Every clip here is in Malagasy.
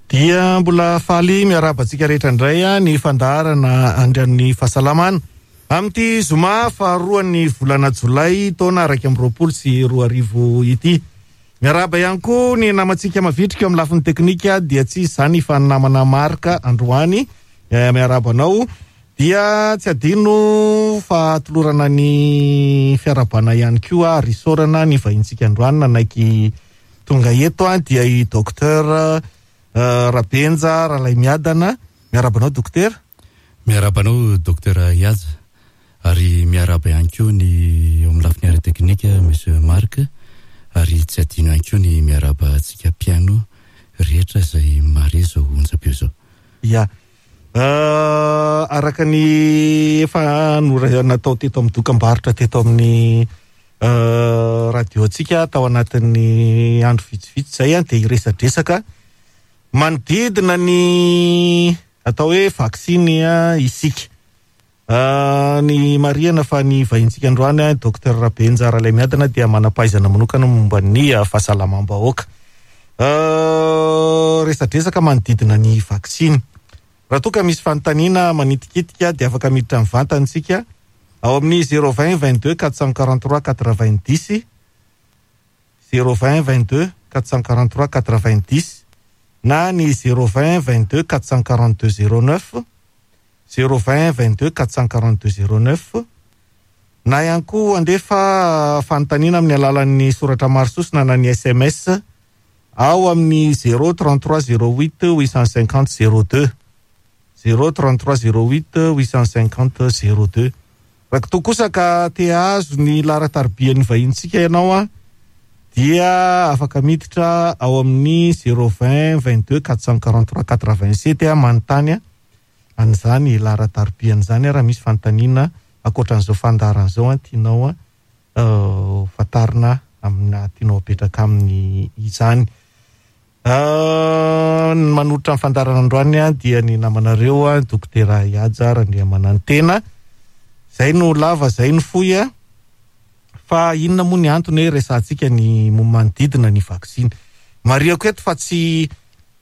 Dia mbola faly miarahaba antsika rehetra indray ny fandaharana Andrian'ny Fahasalamana amin'ity zoma faharoan'ny volana jolay taona 2021 ity. Miarahaba ihany koa ny namantsika mavitrika eo amin'ny lafiny teknika dia tsy iza izany fa ny namana Marc androany. Miarahaba anao. Dia tsy adino fa atolorana ny fiarahabana ihany koa ary isaorana ny vahintsika androany nanaiky Tonga eto dia i Docteur Rabenja Ralaimiadana. Miarahaba anao Dokotera. Miarahaba anao Docteur Ihaja ary miarahaba ihany koa ny eo amin'ny lafiny ara-teknika Monsieur Marc ary tsy adino ihany koa ny miarahaba antsika mpihaino rehetra izay mahare izao onjam-peo izao. Ya. Araka ny efa natao teto amin'ny dokam-barotra teto amin'ny radio antsika tao anatin'ny andro vitsivitsy izay dia hiresadresaka manodidina ny atao hoe vaksiny isika. Ny marihana fa ny vahintsika androany Docteur Rabenja Ralaimiadana dia manam-pahaizana manokana momba ny fahasalamam-bahoaka. Resadresaka manodidina ny vaksiny. Raha toa ka misy fanontaniana manitikitika dia afaka miditra mivantana isika ao amin'ny 020 22 443 90, 020 22 443 90 na ny 020 22 442 09, 020 22 442 09, na ihany koa handefa fanontaniana amin'ny alalan'ny soratra maro sosona na ny sms ao amin'ny 0 33 08 850 02, 0 33 08 850 02. Raha toa kosa ka te hahazo ny laharan-taribian'ny vahinintsika ianao an, dia afaka miditra ao amin'ny 0 20 22 443 87 manontany an'izany laharan-taribiana izany raha misy fanontaniana ankoatran'izao fandaharana izao an tianao ho fantarina amina tianao apetraka aminy izany. Ny manolotra ny fandaharana androany dia ny namanareo Dokotera Ihaja Randriamanantena. Izay no lava, izay no fohy. Fa inona moa ny antony hoe resahantsika ny manodidina ny vaksiny? Marihako eto fa tsy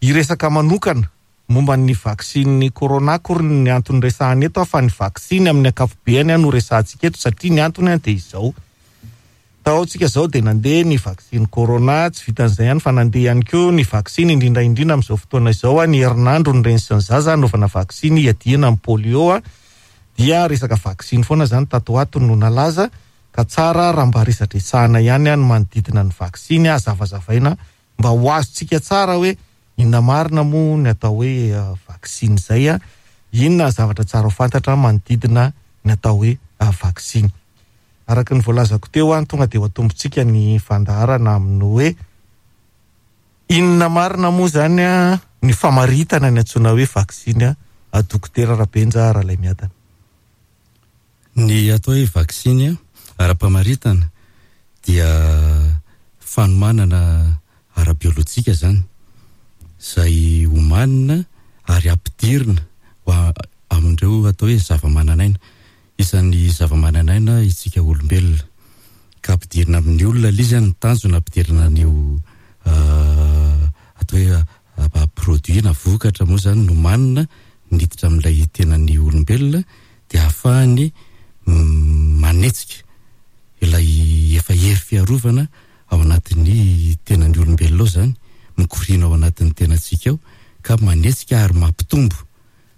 hiresaka manokana momba ny vaksiny corona akory ny antony resahana eto fa ny vaksiny amin'ny ankapobeany no resahantsika eto satria ny antony dia izao. Tao tsika izao dia nandeha ny vaksiny corona, tsy vitan'izay ihany fa nandeha ihany koa ny vaksiny indrindra indrindra amin'izao fotoana izao ny herinandro ny reny sy ny zaza hanaovana vaksiny hiadiana amin'ny polio dia resaka vaksiny foana izany tato ho ato no nalaza ka tsara raha mba resadresahana ihany ny manodidina ny vaksiny hazavazavaina mba ho azontsika tsara hoe inona marina moa ny atao hoe vaksiny izay, inona ny zavatra tsara ho fantatra manodidina ny atao hoe vaksiny. Araka ny voalazako teo, tonga dia ho atombontsika ny fandaharana amin'ny hoe inona marina moa izany ny famaritana ny antsoina hoe vaksiny, Dokotera Rabenja Ralaimiadana. Ny atao hoe vaksiny ara-pamaritana dia fanomanana ara-biolojika izany, izay omanina ary ampidirina ho amin'ireo atao hoe zava-manan'aina. Isan'ny zava-manan'aina isika olombelona, ka ampidirina amin'ny olona ilay izy, ny tanjona ampidirina an'io atao hoe produit na vokatra moa izany nomanina niditra amin'ilay tenan'ny olombelona dia ahafahany manetsika ilay efa hery fiarovana ao anatin'ny tenan'ny olombelona ao izany, mikoriana ao anatin'ny tenantsika ao ka manetsika ary mampitombo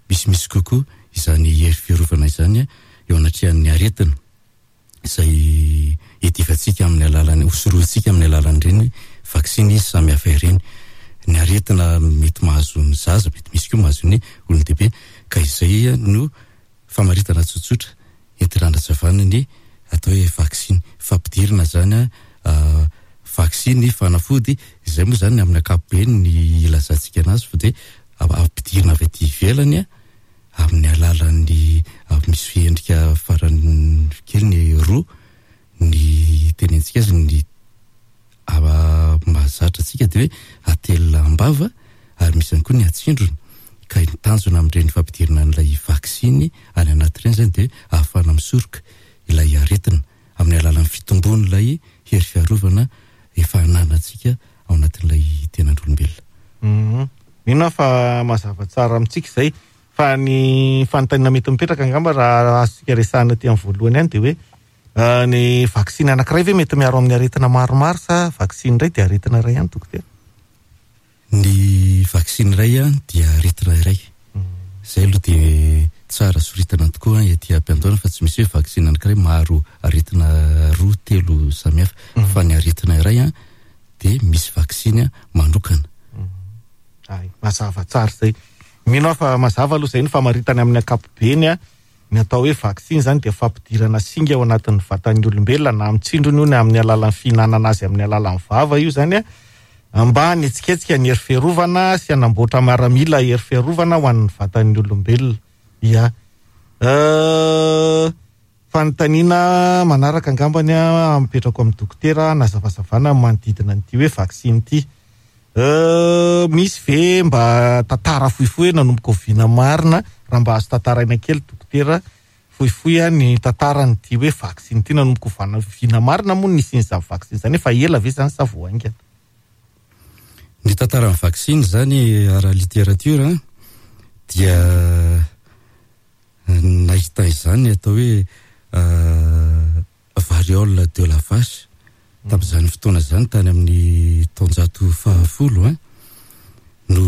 misimisy kokoa izany hery fiarovana izany eo anatrehan'ny aretina izay iadivantsika amin'ny alalan'ny, hosorohintsika amin'ny alalan'ireny vaksiny samihafa ireny. Ny aretina mety mahazo ny zaza, mety misy koa mahazo ny olon-dehibe ka izay no famaritana tsotsotra entina hanazavana ny atao hoe vaksiny. Fampidirina izany vaksiny, fanafody, izay moa izany amin'ny ankapobeny ny ilazantsika anazy fa dia ampidirina avy aty ivelany amin'ny alalan'ny misy endrika farany kely ny roa ny tenentsika azy ny mahazatra antsika dia hoe atelina am-bava ary misy ihany koa ny atsindrona ka ny tanjona amin'ireny fampidirana an'ilay vaksiny any anaty ireny izany dia ahafahana misoroka ilay aretina amin'ny alalan'ny fitombon'ilay hery fiarovana efa ananantsika ao anatin'ilay tenan'olombelona. Ny Mino aho fa mazava tsara amintsika izay. Fa ny fanontaniana mety mipetraka angamba raha azontsika resahina aty amin'ny voalohany ihany dia hoe ny vaksiny anankiray ve mety miaro amin'ny aretina maromaro sa vaksiny iray dia aretina iray ihany dokotera? Ny vaksiny iray dia aretina iray. Izay aloha dia tsara soritana tokoa ety am-piandohana fa tsy misy hoe vaksiny anankiray maharo aretina roa telo samihafa fa ny aretina iray dia misy vaksiny manokana. Hay, mazava tsara izay. Mino aho fa mazava aloha izay ny famaritana amin'ny ankapobeny a. Ny atao hoe vaksiny izany dia fampidirana singa ao anatin'ny vatan'ny olombelona na amin'ny tsindrona io na amin'ny alalan'ny fihinanana azy amin'ny alalan'ny vava io izany a, mba hanetsiketsika ny hery fiarovana sy hanamboatra miaramila hery fiarovana ho an'ny vatan'ny olombelona. Ia. Euh, fanontaniana manaraka angambany a, apetrako amin'ny dokotera hanazavazavana ny manodidina an'ity hoe vaksiny ity. Euh, misy ve mba tantara fohifohy hoe nanomboka oviana marina, raha mba azo tantaraina kely dokotera, fohifohy a ny tantaran'ity hoe vaksiny ity, nanomboka ovana oviana marina moa ny nisian'izany vaksiny izany, efa ela ve izany sa vao haingana? Ny tantaran'ny vaksiny izany ara-literatiora dia nahita izany atao hoe variole de la vache tamin'izany fotoana izany tany amin'ny taonjato fahafolo an no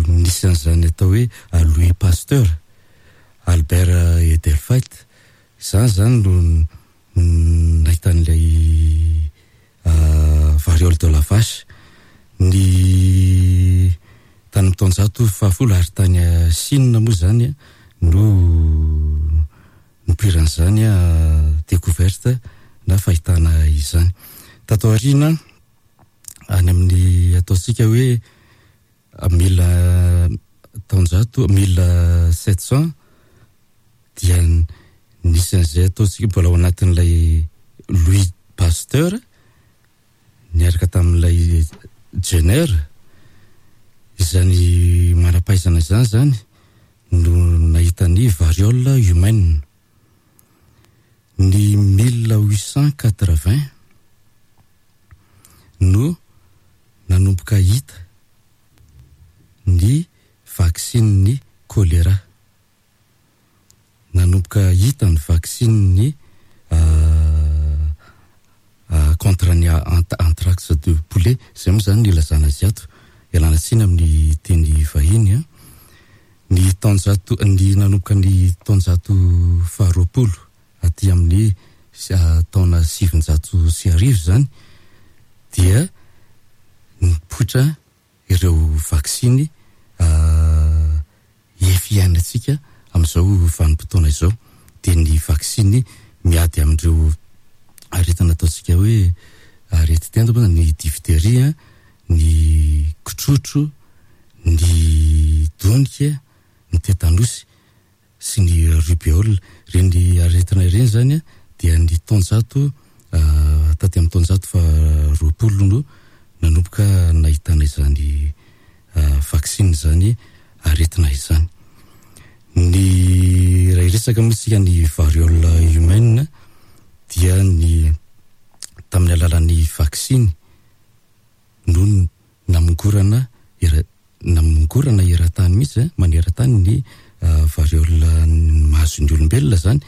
nisy an'izany atao hoe Louis Pasteur, Albert Edelfelt, izany izany no nahita an'ilay variole de la vache ny tany amin'ny taonjato fahafolo ary tany Chine moa izany no nipoiran'izany découverte na fahitana izany. Tato aoriana, any amin'ny ataontsika hoe mille taonjato, 1700 dia nisy an'izay ataontsika mbola ao anatin'ilay Louis Pasteur niaraka tamin'ilay Jenner, izany manam-pahaizana izany izany no nahita ny variole humaine. Ny 1880 no nanomboka hita ny vaksinin'ny choléra. Nanomboka hita ny vaksinin'ny contre ny anthrax de poulet, izay moa izany no ilazana azy ato, ialana tsiny amin'ny teny vahiny an. Ny taonjato, ny nanomboka ny taonjato faharoapolo aty amin'ny taona 1900 izany dia nipoitra ireo vaksiny efa iainantsika amin'izao vanim-potoana izao dia ny vaksiny miady amin'ireo aretina ataontsika hoe aretin-tenda moa ny diphtérie, ny kitrotro, ny donika, ny tetanosy sy ny rubéole. Ireny aretina ireny izany dia ny taonjato taty amin'ny taonjato faha 20 no nanomboka nahitana izany vaksiny izany aretina izany. Ny raha hiresaka moa isika ny variole humaine dia ny tamin'ny alalan'ny vaksiny no namongorana era namongorana eran-tany mihitsy eh, maneran-tany ny variole mahazo ny olombelona izany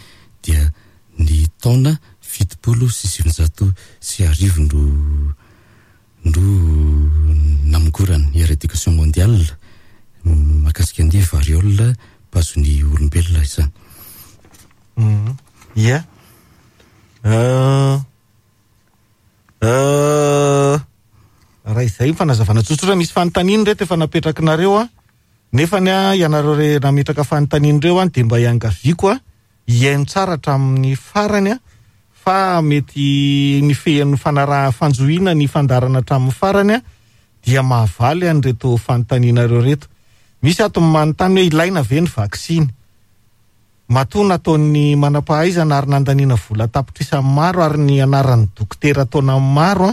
dia ny taona 1970 no no namongorana ny éradication mondiale mahakasika ny variole mpahazo ny olombelona izany. Ia. Raha izay ny fanazavana tsotsotra, misy fanontaniana ireto efa napetrakinareo an, nefany an ianareo re nametraka fanontaniana ireo an dia mba iangaviako an hihaino tsara hatramin'ny farany an fa mety ny fehin'ny fanaraha fanjohiana ny fandaharana hatramin'ny farany an dia mahavaly an'ireto fanontanianareo ireto. Misy ato ny manontany hoe ilaina ve ny vaksiny? Matoa nataon'ny manam-pahaizana ary nandaniana vola an-tapitrisany maro ary ny anaran'ny dokotera taonany maro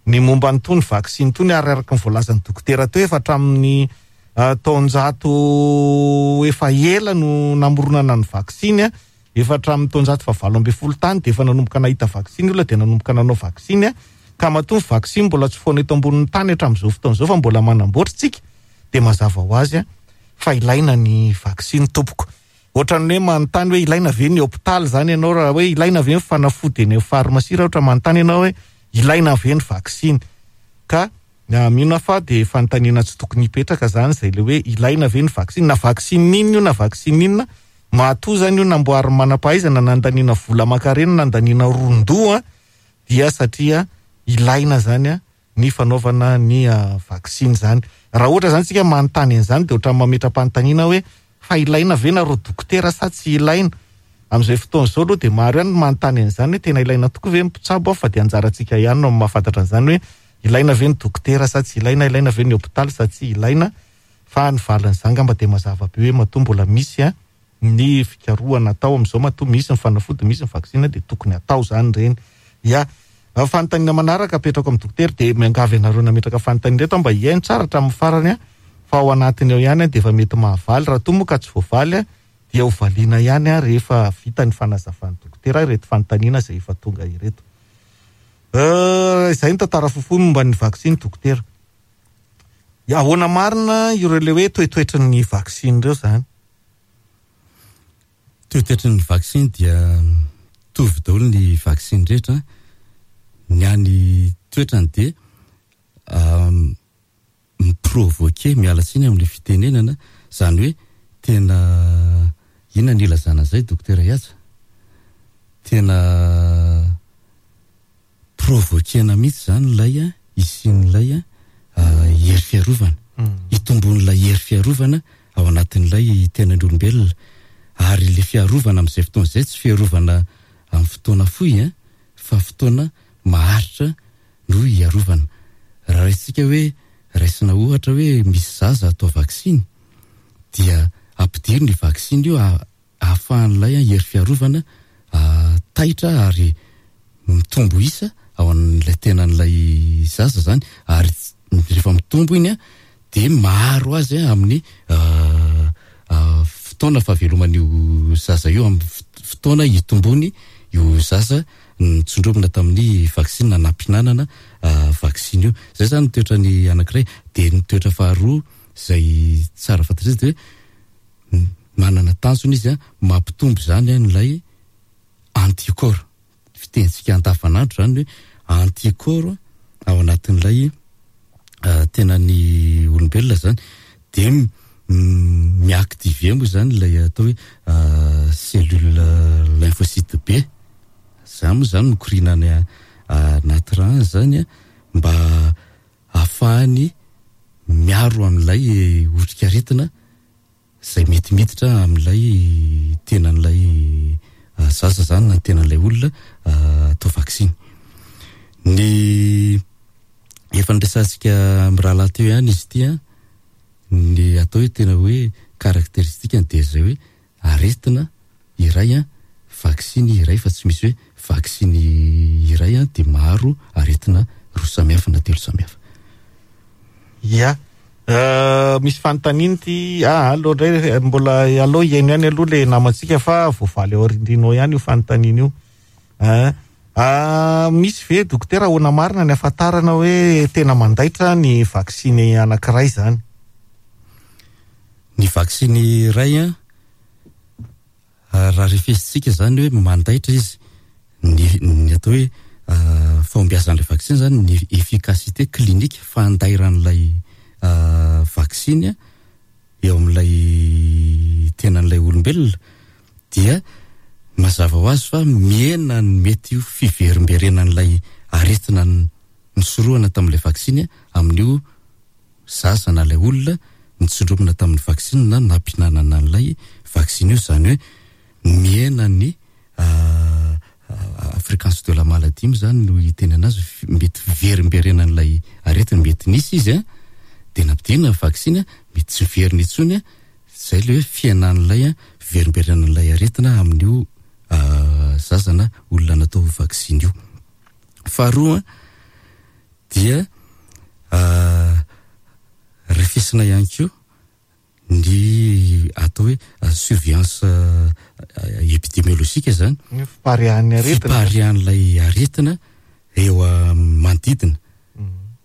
ny momba an'itony vaksiny itony ary araka ny voalazan'ny dokotera teo efa hatramin'ny taonjato efa ela no namoronana ny vaksiny, efa hatramin'ny taonjato faha 18 tany dia efa nanomboka nahita vaksiny olona dia nanomboka nanao vaksiny ka matoa ny vaksiny mbola tsy foana eto ambonin'ny tany hatramin'izao fotoana izao fa mbola manamboatra isika. dia mazava ho azy fa ilaina ny vaksiny tompoko. Ohatran'ny hoe manontany hoe ilaina ve ny hopitaly izany ianao raha hoe ilaina ve ny fanafody eny amin'ny farmasia raha ohatra manontany ianao hoe ilaina ve ny vaksiny. Ka mino aho fa dia fanontaniana tsy tokony hipetraka izany izay ilay hoe ilaina ve ny vaksiny na vaksiny inona io na vaksiny inona matoa izany io namboarin'ny manam-pahaizana nandaniana vola aman-karena nandaniana ron-doha dia satria ilaina izany ny fanaovana ny vaksiny izany. Raha ohatra izany tsika manontany an'izany dia ohatran'ny mametra-panontaniana hoe fa ilaina ve nareo dokotera sa tsy ilaina? Amin'izay fotoana izao aloha dia maro ihany ny manontany an'izany hoe tena ilaina tokoa ve ny mpitsabo fa dia anjarantsika ihany no mahafantatra an'izany hoe ilaina ve ny dokotera sa tsy ilaina, ilaina ve ny hopitaly sa tsy ilaina fa ny valin'izany angamba dia mazava be hoe matoa mbola misy ny fikarohana atao amin'izao matoa misy ny fanafody, misy ny vaksiny dia tokony atao izany ireny. Ya. Fanontaniana manaraka apetrako amin'ny dokotera dia miangavy anareo nametraka fanontaniana ireto aho mba hihaino tsara hatramin'ny farany fa ao anatiny ao ihany dia efa mety mahavaly raha toa moa ka tsy voavaly dia ho valiana ihany rehefa vita ny fanazavan'ny dokotera ireto fanontaniana izay efa tonga ireto. Izay ny tantara fohifohy momba ny vaksiny dokotera. Ahoana marina ireo ilay hoe toetoetry ny vaksiny ireo izany? Toetoetry ny vaksiny dia mitovy daholo ny vaksiny rehetra. Ny any toetrany dia mi-provoquer, miala tsiny amin'ilay fitenenana, izany hoe tena inona ny ilazana an'izay Dokotera Ihaja? Tena provoquer-na mihitsy izany ilay hisian'ilay hery fiarovana, hitombon'ilay hery fiarovana ao anatin'ilay tenan'ny olombelona. Ary ilay fiarovana amin'izay fotoana izay tsy fiarovana amin'ny fotoana fohy an, fa fotoana maharitra no hiarovana. Raha raisintsika hoe, raisina ohatra hoe misy zaza atao vaksiny dia ampidirina io vaksiny io ahafahan'ilay hery fiarovana taitra ary mitombo isa ao an'ilay tenan'ilay zaza izany ary rehefa mitombo iny dia maharo azy amin'ny fotoana fahaveloman'io zaza io, amin'ny fotoana hitombony io zaza nitsondromina tamin'ny vaksiny na nampihinanana vaksiny io. Izay izany ny toetrany anankiray. Dia ny toetra faharoa izay tsara fantatra izy dia hoe manana tanjona izy mampitombo izany an'ilay anticorps. Fitenintsika andavanandro izany hoe anticorps ao anatin'ilay tenan'ny olombelona izany. Dia mi-activer moa izany ilay atao hoe cellule lymphocyte B. Izany moa izany mikoriana any anaty rà any izany mba hahafahany miaro amin'ilay otrikaretina izay mety miditra amin'ilay tenan'ilay zaza izany na ny tenan'ilay olona atao vaksiny. Ny efa niresahantsika mirahalahy teo ihany izy ity an, ny atao hoe tena hoe caractéristique-ny dia izay hoe aretina iray an, vaksiny iray fa tsy misy hoe vaksiny iray an dia maro aretina roa samihafa na telo samihafa. Ia. Misy fanontaniana ity, ah aleo indray mbola aleo hihaino ihany aloha le namantsika fa voavaly ao aoriandriana ao ihany io fanontaniana io. Ah, misy ve dokotera ahoana marina ny ahafantarana hoe tena mandaitra ny vaksiny anankiray izany? Ny vaksiny iray an, raha refesintsika izany hoe mandaitra izy, ny ny atao hoe fahombiazan'ilay vaksiny izany, ny efficacité clinique, fandairan'ilay vaksiny an, eo amin'ilay tenan'ilay olombelona dia mazava ho azy fa mihena ny mety ho fiverimberenan'ilay aretina nisorohana tamin'ilay vaksiny amin'io zaza na ilay olona nitsindromina tamin'ny vaksiny na nampihinanana an'ilay vaksiny io, izany hoe mihena ny fréquence de la maladie moa zany no hitenana azy, mety fiverimberenan'ilay aretina, mety nisy izy an, dia nampidirina ny vaksiny an, mety tsy miverina intsony an, zay le hoe fihenan'ilay fiverimberenan'ilay aretina amin'io zaza na olona natao vaksiny io. Faharoa dia refesina ihany koa ny atao hoe surveillance épidémiologique zany, Ny fipariahan'ny aretina. Fipariahan'ilay aretina eo amin'ny manodidina.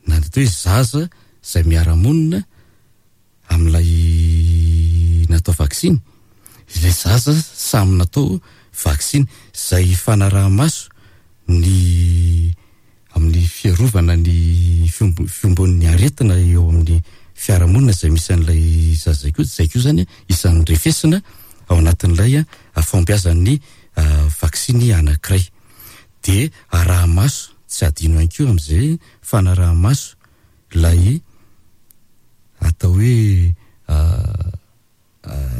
Na ny atao hoe zaza izay miara-monina. amin'ilay natao vaksiny, ilay zaza samy natao vaksiny, izay fanaraha-maso ny amin'ny fiarovana ny fiombon'ny aretina eo amin'ny fiarahamonina izay misy an'ilay zaza izay koa, izay koa izany isan'ny refesina ao anatin'ilay fahombiazan'ny vaksiny anankiray. Dia araha-maso, tsy adino ihany koa amin'izay fanaraha-maso ilay atao hoe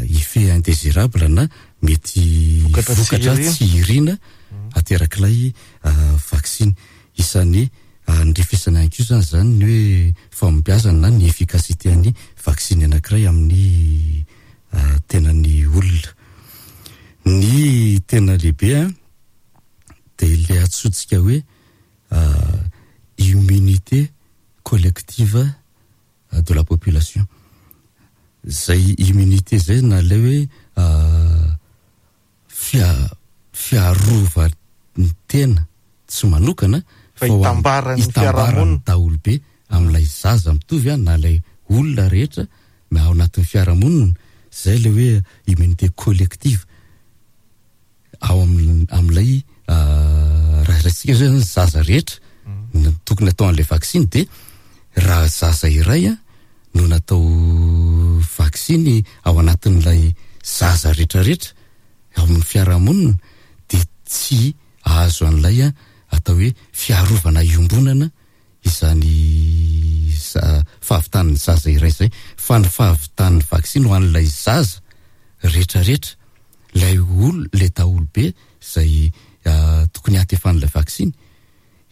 effet indésirable na mety vokatra tsy irina aterak'ilay vaksiny. Isan'ny andrefesana ihany koa izany izany ny hoe fahombiazana na ny efficacité an'ny vaksiny anankiray amin'ny tenan'ny olona. Ny tena lehibe dia ilay antsointsika hoe immunité collective de la population. Zay immunité zay na ilay hoe fiarovan'ny tena tsy manokana fa itambaran'ny fiarahamonina daholobe amin'ilay zaza mitovy na ilay olona rehetra ao anatin'ny fiarahamonina, zay ilay hoe immunité collective. ao amin'ny amin'ilay raha raisitsika zao zany zaza rehetra no tokony atao an'ilay vaksiny dia raha zaza iray a no natao vaksiny ao anatin'ilay zaza rehetrarehetra ao amin'ny fiarahamonina dia tsy ahazo an'ilay a atao hoe fiarovana iombonana izany fahavitan'ny zaza iray izay fa ny fahavitan'ny vaksiny ho an'ilay zaza rehetrarehetra ilay ol ilay daholobe izay tokony hahatefan'ilay vaksiny,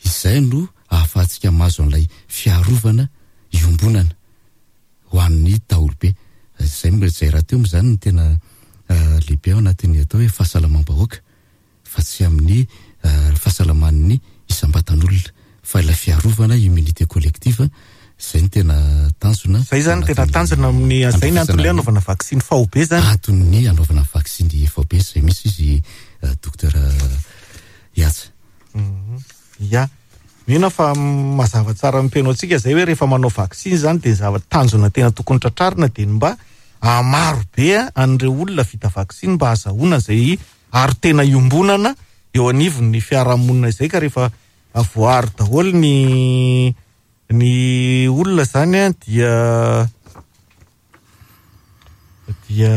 izay no ahafahantsika mahazo an'ilay fiarovana iombonana ho an'ny daholobe. Izay izay rahateo moa izany no tena lehibe ao anatin'ny atao hoe fahasalamam-bahoaka. fa tsy amin'ny fahasalaman'ny isam-batan'olona fa ilay fiarovana immunité collective izay no tena tanjona. Izay izany no tena tanjona amin'ny izay ny antony anaovana vaksiny faobe izany. Antony anaovana vaksiny faobe izay mihitsy izy Docteur Ihaja. Ya. Mino aho fa mazava tsara amin'ny mpihaino antsika izay hoe rehefa manao vaksiny izany dia ny zava tanjona tena tokony tratrarina dia ny mba hahamaro be an'ireo olona vita vaksiny mba hahazahoana izay aro tena iombonana eo anivon'ny fiarahamonina izay ka rehefa voaaro daholo ny ny olona izany an dia dia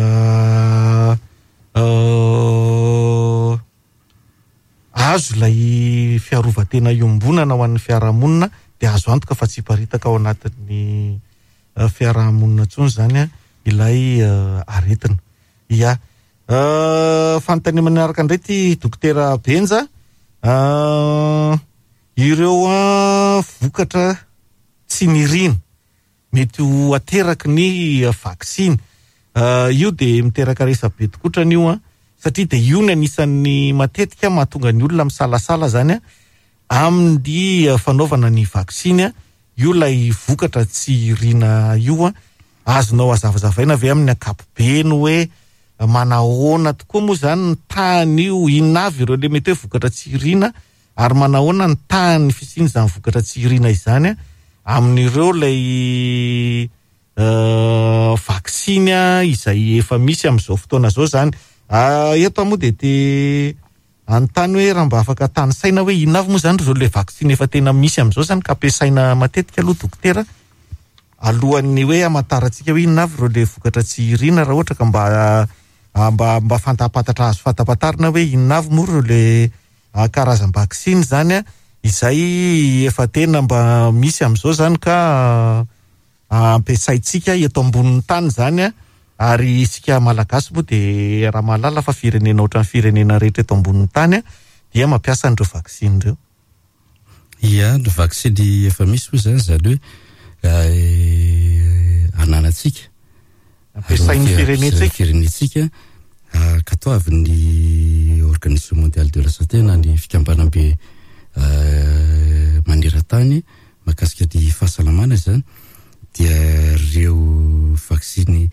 azo ilay fiarovan-tena iombonana ho an'ny fiarahamonina dia azo antoka fa tsy hiparitaka ao anatin'ny fiarahamonina intsony izany ilay aretina. Ya. Fanontaniana manaraka indray ity Dokotera Benja. Ireo vokatra tsy nirina mety ho ateraky ny vaksiny. Io dia miteraka resabe tokotrany io an, satria dia io ny anisan'ny matetika mahatonga ny olona misalasala izany an, amin'ny fanaovana ny vaksiny, io ilay vokatra tsy irina io an, azonao hazavazavaina ve amin'ny ankapobeny hoe manahoana tokoa moa izany ny tahan'io, inona avy ireo le mety hoe vokatra tsy irina ary manahoana ny tahan'ny fisian'izany vokatra tsy irina izany amin'ireo ilay vaksiny izay efa misy amin'izao fotoana izao izany. Eto aho moa dia te hanontany hoe raha mba afaka tanisaina hoe inona avy moa izany ireo ilay vaksiny efa tena misy amin'izao izany ka ampiasaina matetika aloha dokotera alohan'ny hoe hamantarantsika hoe inona avy ireo ilay vokatra tsy irina raha ohatra ka mba mba mba fantapantatra azo fantapantarina hoe inona avy moa ireo ilay karazam-baksiny izany izay efa tena mba misy amin'izao izany ka ampiasaintsika eto ambonin'ny tany izany ary isika Malagasy moa dia raha mahalala fa firenena ohatran'ny firenena rehetra eto ambonin'ny tany dia mampiasa an'ireo vaksiny ireo. Ia, ny vaksiny efa misy moa izany, izany hoe ananantsika. Ampiasain'ny firenentsika. Firenentsika, ankatoavin'ny Organisation Mondiale de la Santé na ny fikambanam-be maneran-tany mahakasika ny fahasalamana izany dia ireo vaksiny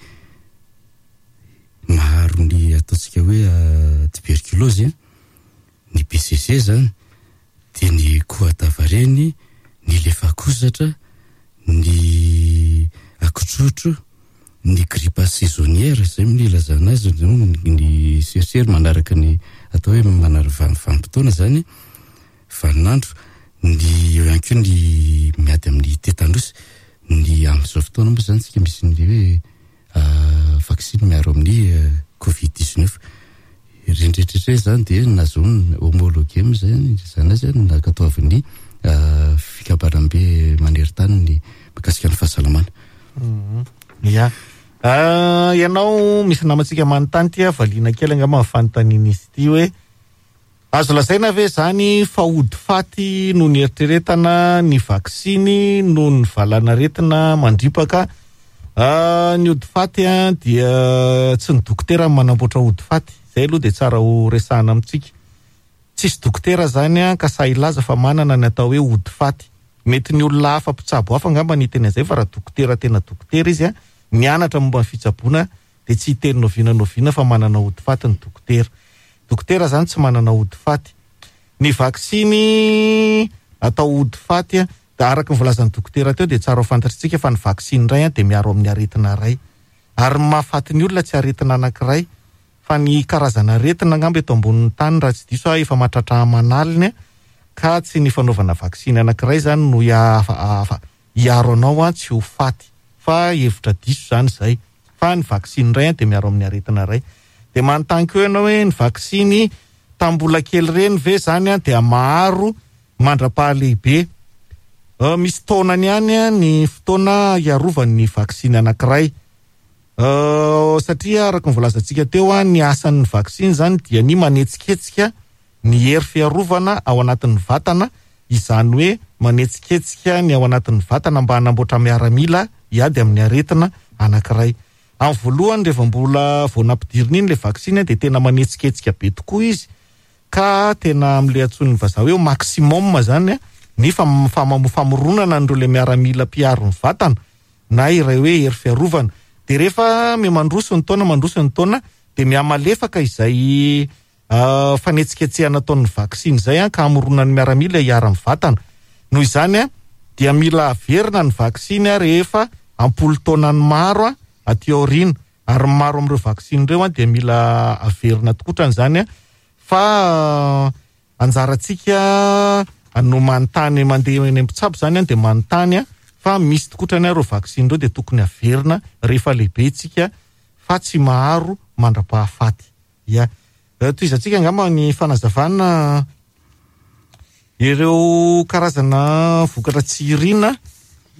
maharo ny ataontsika hoe tuberculose, ny BCG izany dia ny kohadavareny, ny lefakozatra, ny akotrotro. Ny grippe saisonnière izay no ilazana azy, ny serisery manaraka ny atao hoe manaraka vanim-potoana izany, vaninandro, ny eo ihany koa ny miady amin'ny tetanosy, ny amin'izao fotoana moa izany tsika misy ny hoe vaksiny miaro amin'ny covid 19. Ireny rehetra ireny izany dia nahazoana homologué moa izany izany azy nankatoavin'ny fikambanambe maneran-tany ny mikasika ny fahasalamana. Ya. Ianao misy namantsika manontany ity valiana kely angamba ny fanontanian'izy ity hoe azo lazaina ve izany fa ody faty noho ny eritreretana ny vaksiny noho ny valanaretina mandripaka? Ny ody faty dia tsy ny dokotera no manamboatra ody faty. Izay aloha dia tsara ho resahana amintsika. Tsisy dokotera izany ka sahy hilaza fa manana ny atao hoe ody faty. Mety ny olona hafa mpitsabo hafa angamba ny hiteny an'izay fa raha dokotera tena dokotera izy nianatra momba ny fitsaboana dia tsy hiteny n'oviana n'oviana fa manana ody faty ny dokotera. Dokotera izany tsy manana ody faty. Ny vaksiny atao ody faty dia araka ny voalazan'ny dokotera teo dia tsara ho fantatritsika fa ny vaksiny iray dia miaro amin'ny aretina iray. Ary ny mahafaty ny olona tsy aretina anankiray fa ny karazana aretina angamba eto ambonin'ny tany raha tsy diso aho efa mahatratra aman'aliny ka tsy ny fanaovana vaksiny anankiray izany no hiaro anao tsy ho faty fa hevitra diso izany izay fa ny vaksiny iray dia miaro amin'ny aretina iray. Dia manontany koa ianao hoe ny vaksiny tamin'ny mbola kely ireny ve izany dia maharo mandra-pahalehibe? Misy taonany ihany ny fotoana hiarovan'ny vaksiny anankiray. Satria araka ny voalazantsika teo, ny asan'ny vaksiny izany dia ny manetsiketsika ny hery fiarovana ao anatin'ny vatana, izany hoe manetsiketsika ny ao anatin'ny vatana mba hanamboatra miaramila hiady amin'ny aretina anankiray. Amin'ny voalohany rehefa mbola vao nampidirina iny ilay vaksiny dia tena manetsiketsika be tokoa izy ka tena amin'ilay antsoin'ny vazaha hoe maximum izany ny famoronana an'ireo ilay miaramila mpiaro ny vatana na iray hoe hery fiarovana. Dia rehefa miha-mandroso ny taona, mandroso ny taona dia miha-malefaka izay fanetsiketsehana ataon'ny vaksiny izay ka hamoronan'ny miaramila hiara amin'ny vatana. Noho izany dia mila averina ny vaksiny rehefa am-polo taonany maro aty aoriana, ary ny maro amin'ireo vaksiny ireo dia mila averina tokotrany izany fa anjarantsika no manontany, mandeha eny mpitsabo izany dia manontany fa misy tokotrany ireo vaksiny ireo dia tokony averina rehefa lehibe isika fa tsy maharo mandra-pahafaty. Ya. Tohizantsika angamba ny fanazavana ireo karazana vokatra tsy irina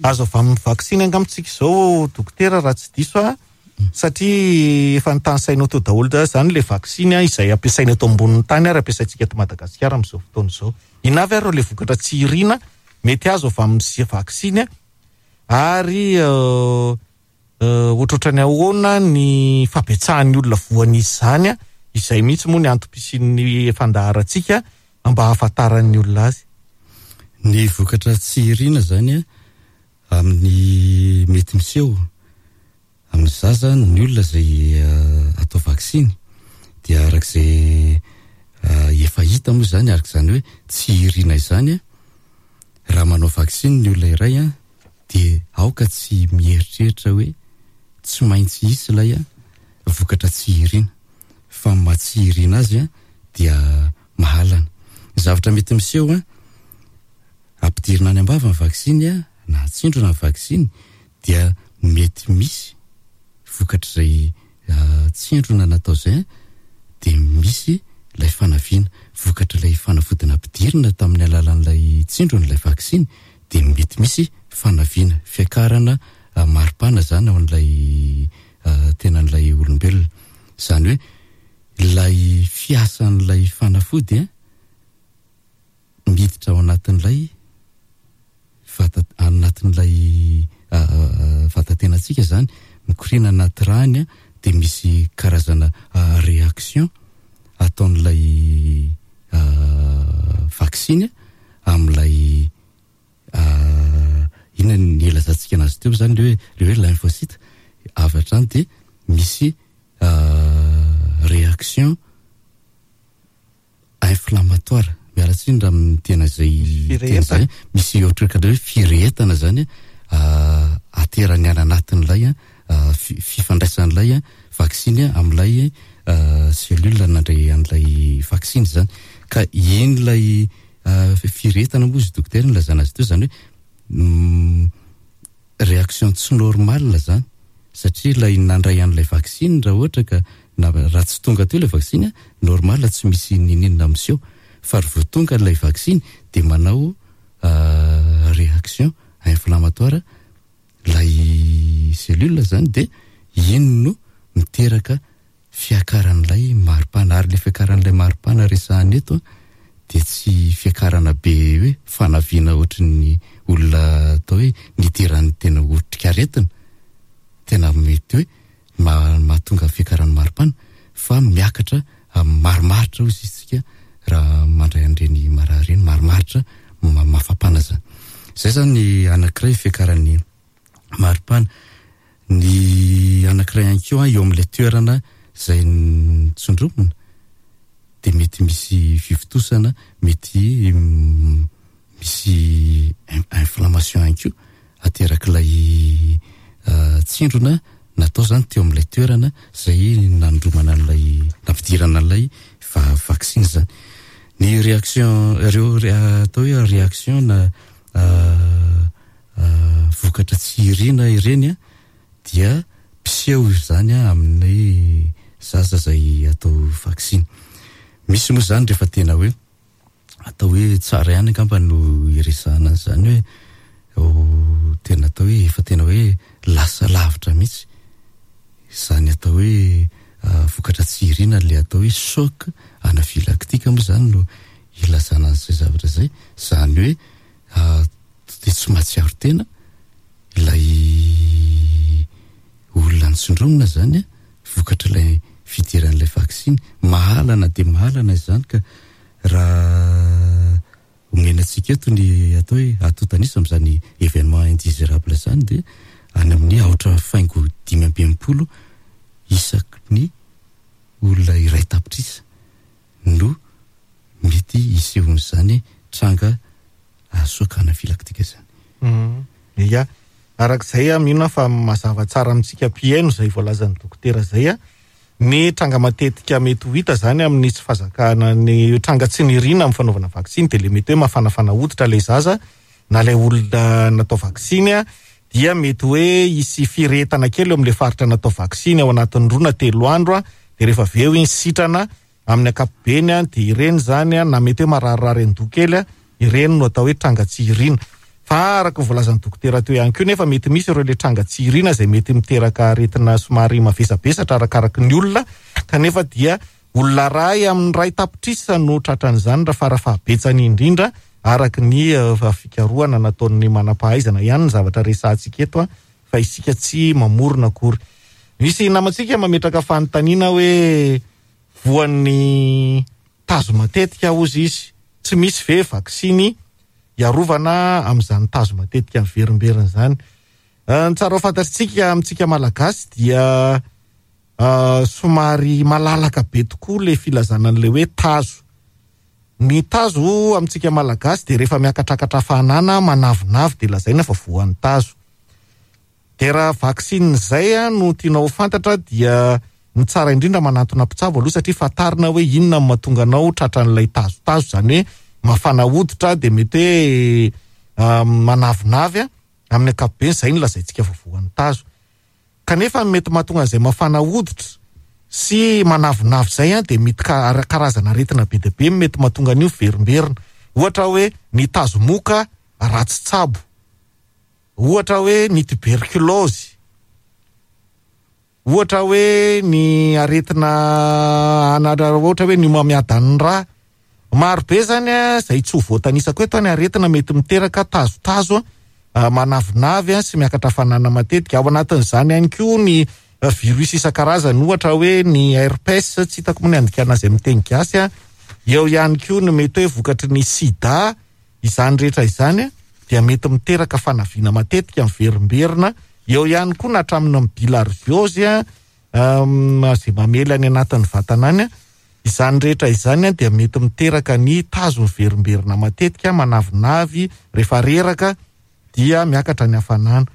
azo avy amin'ny vaksiny angamba tsika izao dokotera raha tsy diso aho, satria efa nitanisainao teo daholo izany ilay vaksiny izay ampiasaina eto ambonin'ny tany ary ampiasaintsika eto Madagasikara amin'izao fotoana izao. Inona avy ary ilay vokatra tsy irina mety azo avy amin'ny vaksiny ary ohatrohatran'ny ahoana ny fabetsahan'ny olona voan'izy izany, izay mihitsy moa ny antom-pisian'ny fandaharantsika mba hahafantaran'ny olona azy. Ny vokatra tsy irina izany amin'ny mety miseho amin'ny zaza ny olona izay atao vaksiny dia arak'izay efa hita moa izany, arak'izany hoe tsy irina izany raha manao vaksiny ny olona iray dia aoka tsy mieritreritra hoe tsy maintsy hisy ilay vokatra tsy irina, fa ny maha tsy irina azy dia mahalana. Ny zavatra mety miseho, ampidirina any am-bava ny vaksiny na atsindrona ny vaksiny dia mety misy vokatr'izay tsindrona natao izay dia misy ilay fanaviana. Vokatr'ilay fanafody nampidirina tamin'ny alalan'ilay tsindrona, ilay vaksiny, dia mety misy fanaviana, fiakarana maripana izany ao amin'ilay tenan'ilay olombelona. Izany hoe ilay fiasan'ilay fanafody miditra ao anatin'ilay vata, anatin'ilay vatatenantsika izany, mikoriana anaty rà iny dia misy karazana réaction ataon'ilay vaksiny amin'ilay inona ny ilazantsika anazy teo izany, ilay hoe, ilay hoe lymphocyte, avy hatrany dia misy réaction inflammatoire, miala tsiny raha miteny izay teny izay, misy ohatrohatran'ny hoe firehetana izany aterany any anatin'ilay. fifandraisan'ilay vaksiny amin'ilay cellule nandray an'ilay vaksiny izany. Ka iny ilay firehetana moa izy dokotera nilazana azy teo izany hoe réaction tsy normale izany satria ilay nandray an'ilay vaksiny raha ohatra ka na raha tsy tonga teo ilay vaksiny normal tsy misy niniana miseho fa ry vao tonga ilay vaksiny dia manao réaction inflammatoire ilay cellule izany dia iny no miteraka fiakaran'ilay maripana ary ilay fiakaran'ilay maripana resahana eto dia tsy fiakarana be hoe fanaviana ohatry ny olona atao hoe nidiran'ny tena otrikaretina tena mety hoe mahatonga fiakaran'ny maripana fa miakatra marimaritra hoy isika raha mandray an'ireny marary ireny marimaritra mafapana zany. Izay zany ny anankiray fiakaran'ny maripana. Ny anankiray ihany koa eo amin'ilay toerana izay nitsondromina dia mety misy fivontosana, mety misy inflammation ihany koa aterak'ilay tsindrona natao zany teo amin'ilay toerana izay nanondromana an'ilay nampidirana an'ilay vaksiny zany. Ny réaction ireo atao hoe réaction na vokatra tsy irina ireny dia mpiseho izany amin'ny zaza izay atao vaksiny. Misy moa izany rehefa tena hoe atao hoe tsara ihany angamba no iresahana an'izany hoe tena atao hoe efa tena hoe lasa lavitra mihitsy izany atao hoe vokatra tsy irina ilay atao hoe choc anaphylactique moa izany no ilazana an'izay zavatra izay, izany hoe dia tsy mahatsiaro tena ilay olona nitsindromina izany vokatr'ilay fidiran'ilay vaksiny. Mahalana dia mahalana izany ka raha omena antsika eto ny atao hoe antontan'isa amin'izany événement indésirable izany dia any amin'ny aotra faingo 65 isaky ny olona iray tapitrisa no mety hisehoan'izany tranga choc anaphylactique izany. Ia, araka izay aho mino aho fa mazava tsara amintsika mpihaino izay voalazan'ny dokotera izay. Ny tranga matetika mety ho hita izany amin'ny tsy fahazakana ny tranga tsy nirina amin'ny fanaovana vaksiny dia ilay mety hoe mafanafana hoditra ilay zaza na ilay olona natao vaksiny dia mety hoe hisy firehetana kely eo amin'ilay faritra natao vaksiny ao anatin'ny 2 na 3 andro dia rehefa avy eo iny sitrana amin'ny ankapobeny dia ireny izany na mety hoe mararirary an-doha kely ireny no atao hoe tranga tsy irina. Fa araka ny voalazan'ny dokotera teo ihany koa nefa mety misy ireo ilay tranga tsy irina izay mety miteraka aretina somary mavesabesatra arakaraky ny olona kanefa dia olona iray amin'ny iray tapitrisa no tratran'izany raha farafahabetsany indrindra araka ny fikarohana nataon'ny manam-pahaizana ihany ny zavatra resahantsika eto fa isika tsy mamorona akory. Misy namantsika mametraka fanontaniana hoe voan'ny tazo matetika hozy izy, tsy misy ve vaksiny hiarovana amin'izany tazo matetika miverimberina izany? Ny tsara ho fantatritsika amintsika Malagasy dia somary malalaka be tokoa ilay filazana an'ilay hoe tazo. Ny tazo amintsika Malagasy dia rehefa miakatrakatra hafanana manavinavy dia lazaina fa voan'ny tazo. Dia raha vaksiny izay no tianao ho fantatra dia ny tsara indrindra manantona mpitsabo aloha satria fantarina hoe inona no mahatonga anao tratran'ilay tazotazo, izany hoe mafana hoditra dia mety hoe manavinavy amin'ny ankapobeny, izay no lazaintsika fa voan'ny tazo. Kanefa ny mety mahatonga an'izay mafana hoditra sy manavinavy izay dia mety karazana aretina be dia be no mety mahatonga an'io miverimberina. Ohatra hoe ny tazomoka ratsy tsabo. Ohatra hoe ny tuberculose, ohatra hoe ny aretina anara, ohatra hoe ny homamiadan'ny rà. Maro be zany izay tsy ho voatanisako eto ny aretina mety miteraka tazotazo manavinavy sy miakatra hafanana matetika. Ao anatin'izany ihany koa ny virus isan-karazany, ohatra hoe ny herpes, tsy hitako moa ny andikana azy amin'ny teny gasy. Eo ihany koa ny mety hoe vokatry ny sida. Izany rehetra izany dia mety miteraka fanaviana matetika miverimberina. Eo ihany koa na hatramin'ny bilharziose izay mamely any anatin'ny vatana any. Izany rehetra izany dia mety miteraka ny tazo miverimberina matetika, manavinavy, rehefa reraka dia miakatra ny hafanana.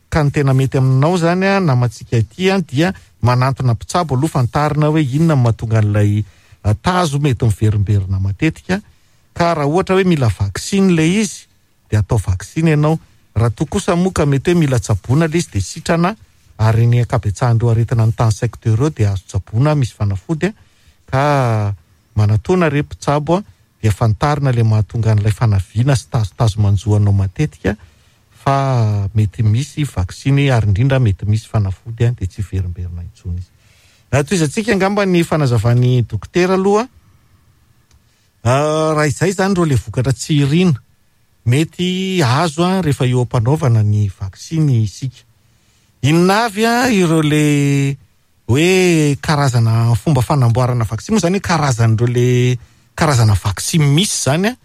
Ka ny tena mety aminao zany a, namantsika ity a, dia manantona mpitsabo aloha, fantarina hoe inona no mahatonga an'ilay tazo mety miverimberina matetika. Ka raha ohatra hoe mila vaksiny ilay izy dia atao vaksiny ianao. Raha toa kosa moa ka mety hoe mila tsaboina ilay izy dia sitrana, ary ny ankabetsahan'ireo aretina notanisaiko teo ireo dia azo tsaboina, misy fanafody ka manatona re mpitsabo dia fantarina ilay mahatonga an'ilay fanaviana sy tazotazo manjo anao matetika fa mety misy vaksiny ary indrindra mety misy fanafody dia tsy hiverimberina intsony izy. Tohizantsika angamba ny fanazavan'ny dokotera aloha. Raha izay izany ireo ilay vokatra tsy irina mety azo rehefa eo am-panaovana ny vaksiny isika. Inona avy ireo ilay hoe karazana fomba fanamboarana vaksiny moa izany hoe karazan'ireo ilay karazana vaksiny misy izany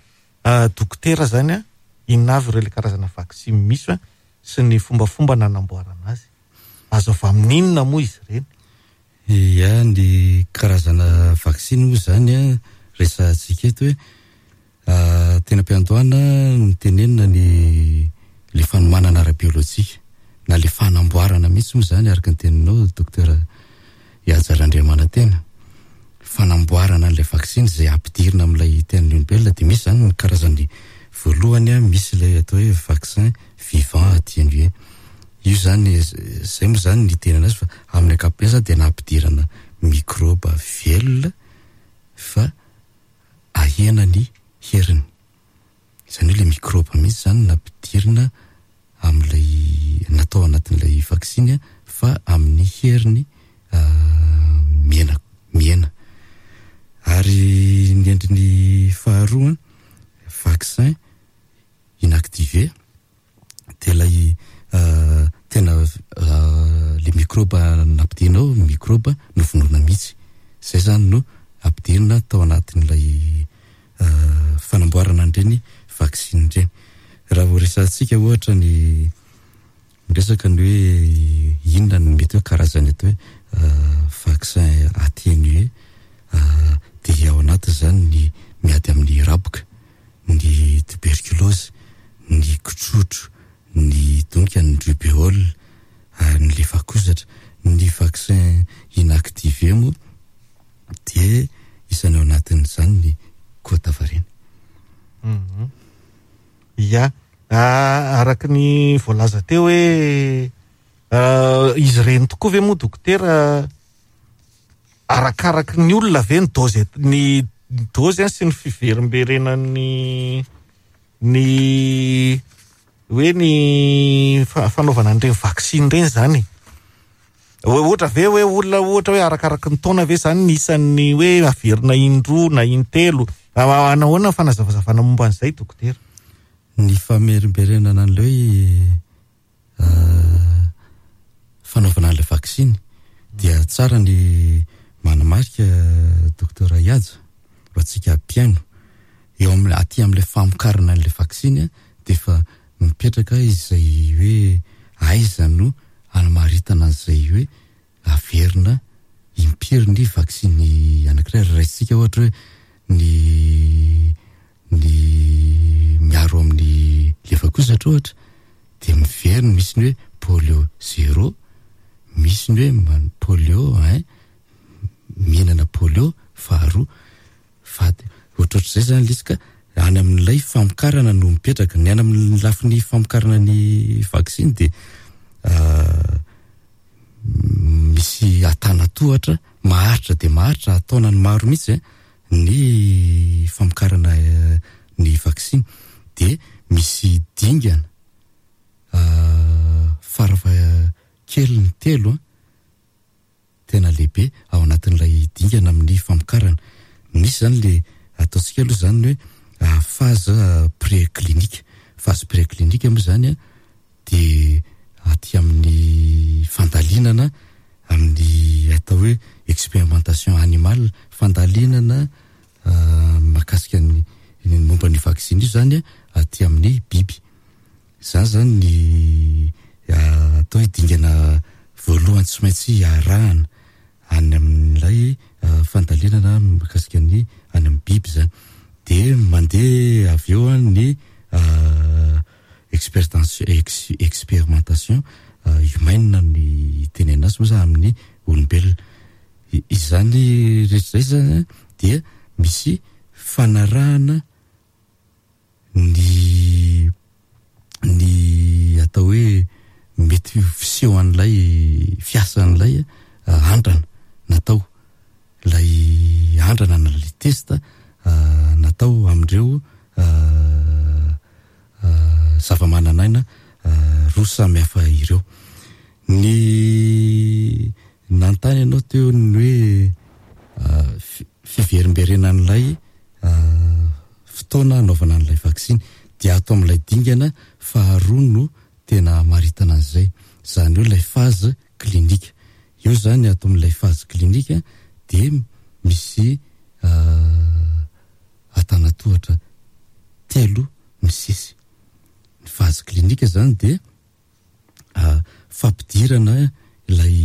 dokotera izany inona avy ireo ilay karazana vaksiny misy sy ny fombafomba nanamboarana azy. Azo avy amin'inona moa izy ireny? Ia, ny karazana vaksiny moa izany an, resahantsika eto hoe teny am-piandohana notenenina ny le fanomanana ara-biolojika na le fanamboarana mihitsy moa izany araka ny teninao Docteur Ihaja Randriamanantena. Fanamboarana an'ilay vaksiny izay ampidirina amin'ilay tenan'ny olombelona dia misy izany ny karazany voalohany an, misy ilay atao hoe vaccin vivant atténué. Io izany, izay moa izany ny itenenana azy fa amin'ny ankapobeny izany dia nampidirana mikrôba velona fa ahena ny heriny. Izany hoe ilay mikrôba mihitsy izany nampidirina amin'ilay, natao anatin'ilay vaksiny fa amin'ny heriny mihena, mihena. Ary ny endriny faharoa, vaccin inactivé. dia ilay tena le mikrôba nampidirina ao, mikrôba novonoina mihitsy. Izay izany no ampidirina tao anatin'ilay fanamboarana an'ireny vaksiny ireny. Raha vao resahantsika ohatra ny miresaka ny hoe inona no mety hoe karazany atao hoe vaccin atténué dia ao anatin'izany ny miady amin'ny raboka. ny tuberculose, ny kitrotro, ny donka, ny rubéole ary ny lefakozatra. Ny vaccin inactivé moa dia isan'ny ao anatin'izany ny koa-tavareny. Mhm. Ya, araka ny voalaza teo hoe izy ireny tokoa ve moa dokotera Arakaraky ny olona ve ny dôzy ny dôzy sy ny fiverimberenan'ny ny hoe ny fanaovana an'ireny vaksiny ireny izany e? Ohatra ve hoe olona ohatra hoe arakaraky ny taona ve izany ny isan'ny hoe averina indroa na intelo? Nahoana ny fanazavazavana momba an'izay dokotera? Ny famerimberenana an'ilay hoe fanaovana an'ilay vaksiny dia tsara ny manamarika Docteur Ihaja ho antsika mpihaino eo amin'ny aty amin'ilay famokarana an'ilay vaksiny dia efa mipetraka izay hoe aiza no anamaritana an'izay hoe Averina impiry ny vaksiny anankiray raha raisintsika ohatra hoe ny ny miaro amin'ny lefakozatra ohatra dia miverina misy ny hoe polio zéro, misy ny hoe polio un, mihinana polio faharoa fa ohatrohatr'izay zany ilay izy ka any amin'ilay famokarana no mipetraka, ny any amin'ny lafiny famokarana ny vaksiny dia misy antanatohatra maharitra dia maharitra an-taonany maro mihitsy ny famokarana ny vaksiny dia misy dingana farafahakeliny telo tena lehibe ao anatin'ilay dingana amin'ny famokarana. Misy izany le ataontsika aloha izany ny hoe phase pré-clinique. Phase pré-clinique moa izany dia aty amin'ny fandalinana amin'ny atao hoe expérimentation animale, fandalinana mahakasika ny momba an'io vaksiny io izany aty amin'ny biby. Izany izany ny atao hoe dingana voalohany tsy maintsy arahana any amin'ilay fandalinana mahakasika ny any amin'ny biby izany. Dia mandeha avy eo ny expérimentation. humaine ny itenenana azy moa zany amin'ny olombelona. Izany rehetra izay zany dia misy fanarahana ny ny atao hoe mety ho fisehoan'ilay fiasan'ilay andrana natao, ilay andrana na ilay test natao amin'ireo zava-manan'aina roa samy hafa ireo. Ny nanontany ianao teo ny hoe fiverimberenan'ilay fotoana hanaovana an'ilay vaksiny dia ato amin'ilay dingana faharoa no tena hamaritana an'izay, izany hoe ilay phase clinique. Eo izany ato amin'ilay phase clinique dia misy antanatohatra telo misesy. Ny phase clinique izany dia fampidirana ilay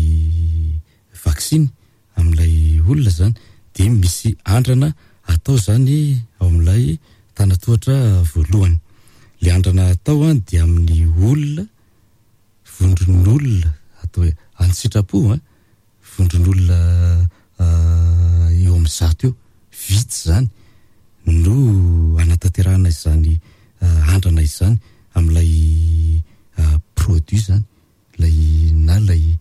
vaksiny amin'ilay olona izany dia misy andrana atao izany ao amin'ilay tanatohatra voalohany. Ilay andrana atao an dia amin'ny olona, vondron'olona atao hoe an-tsitrapo an, vondron'olona eo amin'ny zato eo, vitsy izany no anatanterahana izany andrana izany amin'ilay produit izany, ilay na ilay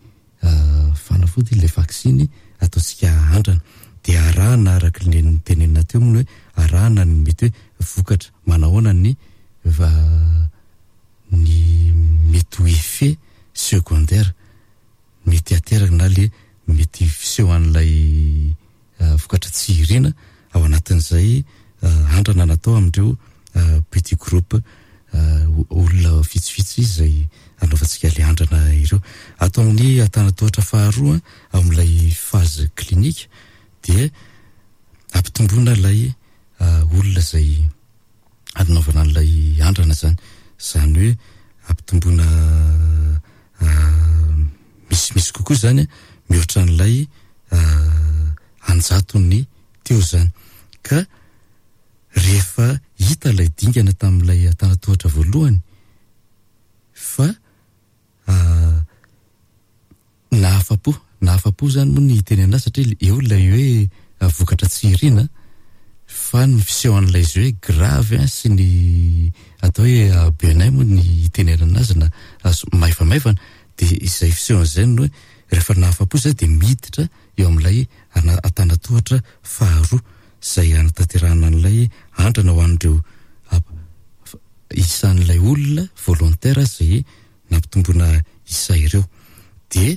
fanafody, ilay vaksiny ataontsika andrana. Dia arahana araka ny notenenina teo moa ny hoe arahana ny mety hoe vokatra, manahoana ny ny mety ho effet secondaire. mety hateraka na le mety fisehoan'ilay vokatra tsy irina ao anatin'izay andrana natao amin'ireo petit groupe olona vitsivitsy izay anaovantsika le andrana ireo. Ato amin'ny antanatohatra faharoa ao amin'ilay phase clinique dia ampitomboina ilay olona izay anaovana an'ilay andrana izany. Izany hoe ampitomboina misimisy kokoa izany mihoatra an'ilay anjatony teo izany. Ka rehefa hita ilay dingana tamin'ilay antanatohatra voalohany fa Nahafa-po, nahafa-po zany moa ny hiteny anazy satria eo ilay hoe vokatra tsy irina fa ny fisehoan'ilay izy hoe grave sy ny atao hoe benin moa ny hitenenana azy na maivamaivana dia izay fisehoan'izay no hoe rehefa nahafa-po zay dia miditra eo amin'ilay antanatohatra faharoa izay hanatanterahana an'ilay andrana ho an'ireo isan'ilay olona volontaire izay nampitomboina isa ireo. Dia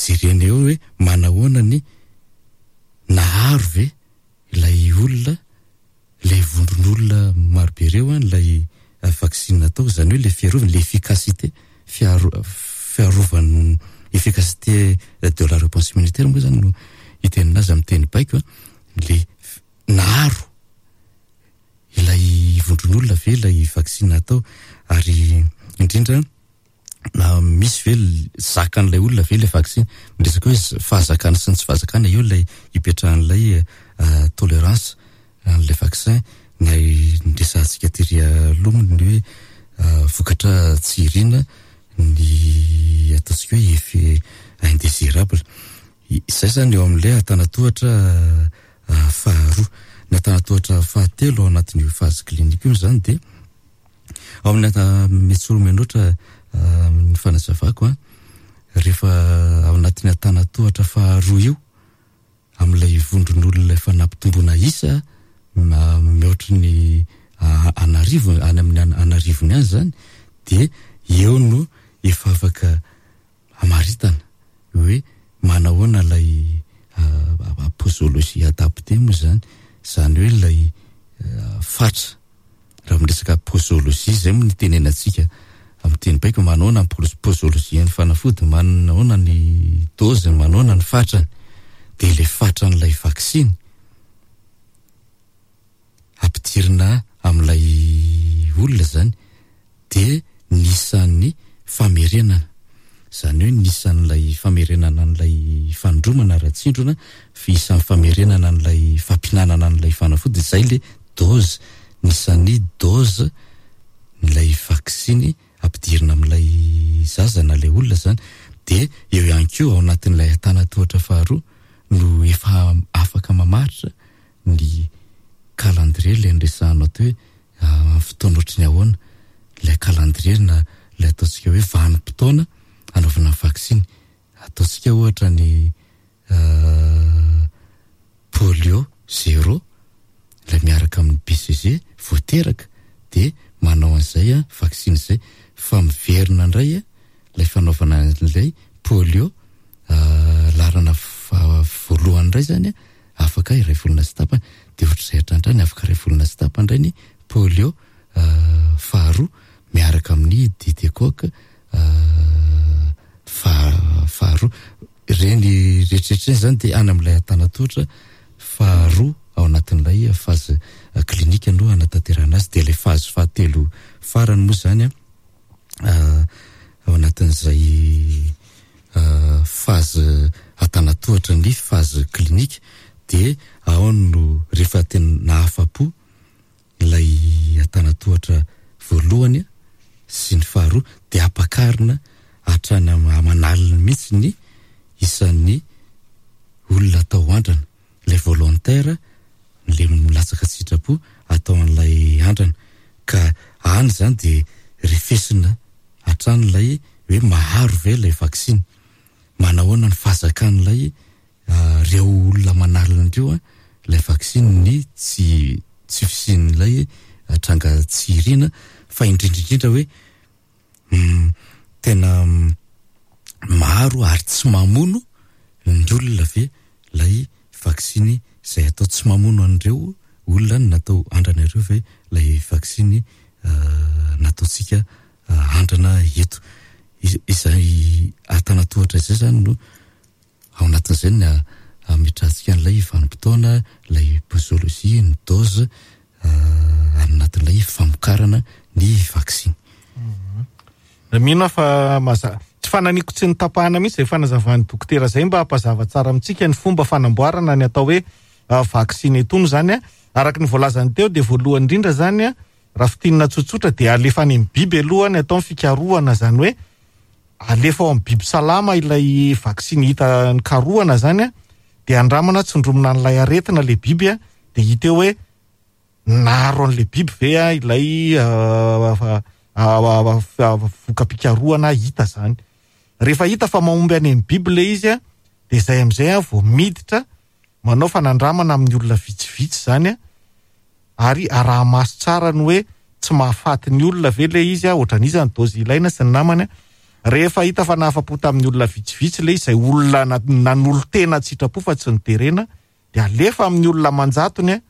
jerena eo hoe manahoana ny naharo ve ilay olona, ilay vondron'olona marobe ireo an, ilay vaksiny natao, izany hoe ilay fiarovana, ilay efficacité, fiaro- fiarovana, efficacité de la réponse immunitaire moa izany no itenenana azy amin'ny teny baiko an, ilay naharo ilay vondron'olona ve ilay vaksiny natao ary indrindra na misy ve zakan'ilay olona ve ilay vaksiny? Miresaka hoe fahazakana sy ny tsy fahazakana eo ilay ipetrahan'ilay tolerance an'ilay vaccin na niresahantsika tery aloha moa ny hoe vokatra tsy irina ny ataontsika hoe effet indésirable. Izay izany eo amin'ilay antanatohatra faharoa. Ny antanatohatra fahatelo ao anatin'io phase clinique io izany dia ao amin'ny mety loatra ny fanazavako an, rehefa ao anatin'ny antanatohatra faharoa io amin'ilay vondron'olona efa nampitomboana isa mihoatry ny an'arivony, any amin'ny an'arivony any izany dia eo no efa afaka hamaritana hoe manahoana ilay posologie adaptée moa izany, izany hoe ilay fatra, raha miresaka posologie izay moa no itenenantsika amin'ny teny baiko, manahoana ny posologie-n'ny fanafody, manahoana ny dose-ny, manahoana ny fatrany, dia ilay fatran'ilay vaksiny ampidirina amin'ilay olona izany dia ny isan'ny famerenana, izany hoe ny isan'ilay famerenana an'ilay fanindromana ara-tsindrona, isan'ny famerenana an'ilay fampihinanana an'ilay fanafody, izay ilay dose, ny isan'ny dose n'ilay vaksiny. ampidirina amin'ilay zaza na ilay olona izany. Dia eo ihany koa ao anatin'ilay antanantohatra faharoa no efa afaka mamaritra ny calendrier ilay niresahanao teo hoe amin'ny fotoana ohatry ny ahoana ilay calendrier na ilay ataontsika hoe vanim-potoana anaovana ny vaksiny. Ataontsika ohatra ny polio zéro ilay miaraka amin'ny BCG vao teraka dia manao an'izay vaksiny izay fa miverina indray ilay fanaovana an'ilay polio laharana voalohany indray izany afaka iray volana sy tapany dia ohatr'izay hatrany hatrany afaka iray volana sy tapany indray ny polio faharoa miaraka amin'ny DT-coque faharoa. Ireny rehetrarehetra ireny izany dia any amin'ilay antanantohatra faharoa ao anatin'ilay phase clinique no hanatanterahana azy. Dia ilay phase fahatelo farany moa izany ao anatin'izay phase antanantohatra ny phase clinique dia ao no rehefa tena nahafa-po ilay antanantohatra voalohany sy ny faharoa dia ampakarina hatrany aman'aliny mihitsy ny isan'ny olona atao andrana, ilay volontaire ilay milatsaka an-tsitrapo atao an'ilay andrana ka any izany dia refesina hatrany ilay hoe maharo ve ilay vaksiny, manahoana ny fahazakan'ilay Reo olona manalina ireo ilay vaksiny ny tsy tsy fisian'ilay tranga tsy iriana fa indrindra indrindra hoe tena maro ary tsy mamono ny olona ve ilay vaksiny izay atao tsy mamono an'ireo olona natao andrana ireo ve ilay vaksiny nataontsika andrana eto izay antanatohatra izay zany no Ao anatin'izay ny hametrahantsika an'ilay vanim-potoana, ilay posologie, ny dose, any anatin'ilay famokarana ny vaksiny. Mino aho fa mazava. Tsy fananiako tsy notapahana mihitsy izay fanazavan'ny dokotera izay mba hampazava tsara amintsika ny fomba fanamboarana ny atao hoe vaksiny itony izany. Araka ny voalazany teo dia voalohany indrindra izany raha fintinina tsotsotra dia alefa any amin'ny biby aloha ny atao ny fikarohana izany hoe Alefa ao amin'ny biby salama ilay vaksiny hita nikarohana zany a, dia andramana tsindromina an'ilay aretina ilay biby a, dia hita eo hoe naharo an'ilay biby ve a ilay voka-pikarohana hita zany. Rehefa hita fa mahomby any amin'ny biby ilay izy a, dia izay amin'izay a vao miditra manao fanandramana amin'ny olona vitsivitsy izany a, ary araha-maso tsara ny hoe tsy mahafaty ny olona ve ilay izy a, ohatran'iza ny dose ilaina sy ny namany a. Rehefa hita fa nahafa-po tamin'ny olona vitsivitsy ilay izy, izay olona nanolo-tena an-tsitrapo fa tsy noterena, dia alefa amin'ny olona aman-jatony a,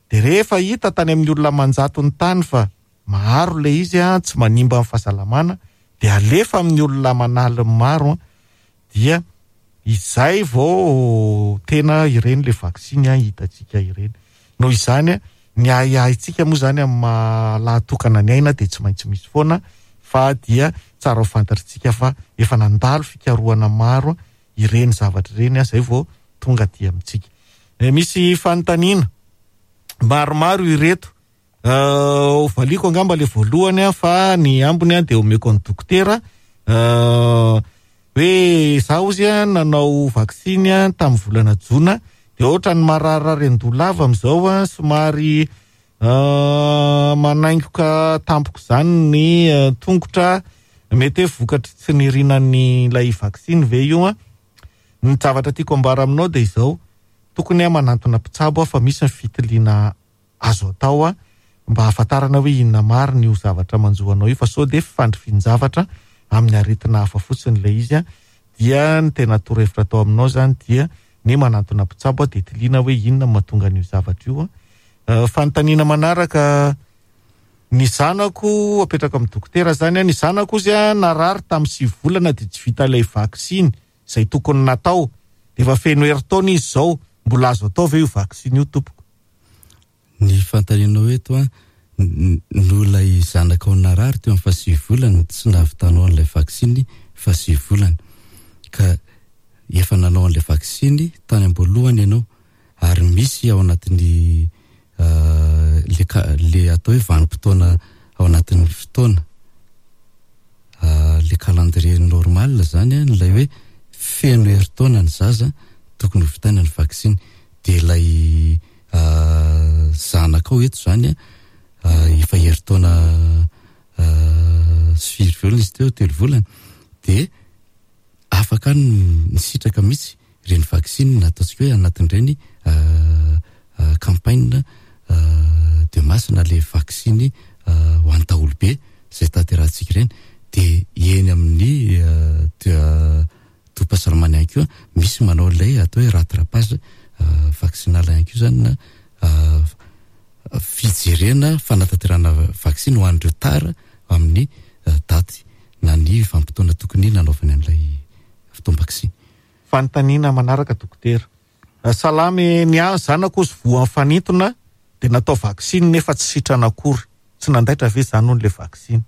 dia rehefa hita tany amin'ny olona aman-jatony tany fa maharo ilay izy a, tsy manimba ny fahasalamana, dia alefa amin'ny olona aman'aliny maro a, dia izay vao tena ireny le vaksiny hitantsika ireny. Noho izany, ny ahiahintsika moa izany amin'ny maha lahatokana ny aina dia tsy maintsy misy foana fa dia tsara ho fantatritsika fa efa nandalo fikarohana maro ireny zavatra ireny izay vao tonga aty amintsika. Misy fanontaniana maromaro ireto. Ho valiako angamba le voalohany an, fa ny ambiny an dia omeko an'i dokotera. Hoe za ozy an nanao vaksiny an tamin'ny volana jona dia ohatran'ny mararirary an-doha lava amin'izao an, somary manaingoka tampoka izany ny tongotra, mety hoe vokatry tsy nirinan'ilay vaksiny ve io an? Ny zavatra tiako ambara aminao dia izao, tokony manantona mpitsabo aho fa misy ny fitiliana azo atao mba hahafantarana hoe inona marina io zavatra manjo anao io fa sao dia fifandrifian-javatra amin'ny aretina hafa fotsiny ilay izy dia ny tena torohevitra atao aminao izany dia ny manantona mpitsabo dia tiliana hoe inona no mahatonga an'io zavatra io. Fanontaniana manaraka, ny zanako apetraka amin'ny dokotera izany, ny zanako ozy narary tamin'ny sivy volana dia tsy vita ilay vaksiny izay tokony natao dia efa feno herintaona izy izao, mbola azo atao ve io vaksiny io tompoko? Ny fanontanianao eto an, noho ilay zanakao narary teo amin'ny fahasivy volana tsy nahavitanao an'ilay vaksiny fahasivy volana. Ka efa nanao an'ilay vaksiny tany am-boalohany ianao ary misy ao anatin'ny le ka- le atao hoe vanim-potoana ao anatin'ny fotoana. Le calendrier normal zany an, ilay hoe feno herintaona ny zaza tokony ho vitaina ny vaksiny. Dia ilay zanakao eto zany an, efa herintaona sy firy volana izy teo, telo volana, dia afaka nisitraka mihitsy ireny vaksiny ataontsika hoe anatin'ireny campagne de masse na le vaksiny ho an'ny daholobe izay tanterahantsika ireny dia eny amin'ny tobim-pahasalamana ihany koa misy manao ilay atao hoe rattrapage vaccinal ihany koa izany na fijerena fanatanterahana vaksiny ho an'ireo tara amin'ny daty na ny vanim-potoana tokony nanaovany an'ilay fotoam-baksiny. Fanontaniana manaraka dokotera. Salama e, ny ahy ny zanako ozy voan'ny fanintona dia natao vaksiny nefa tsy sitrana akory, tsy nandaitra ve izany hono le vaksiny?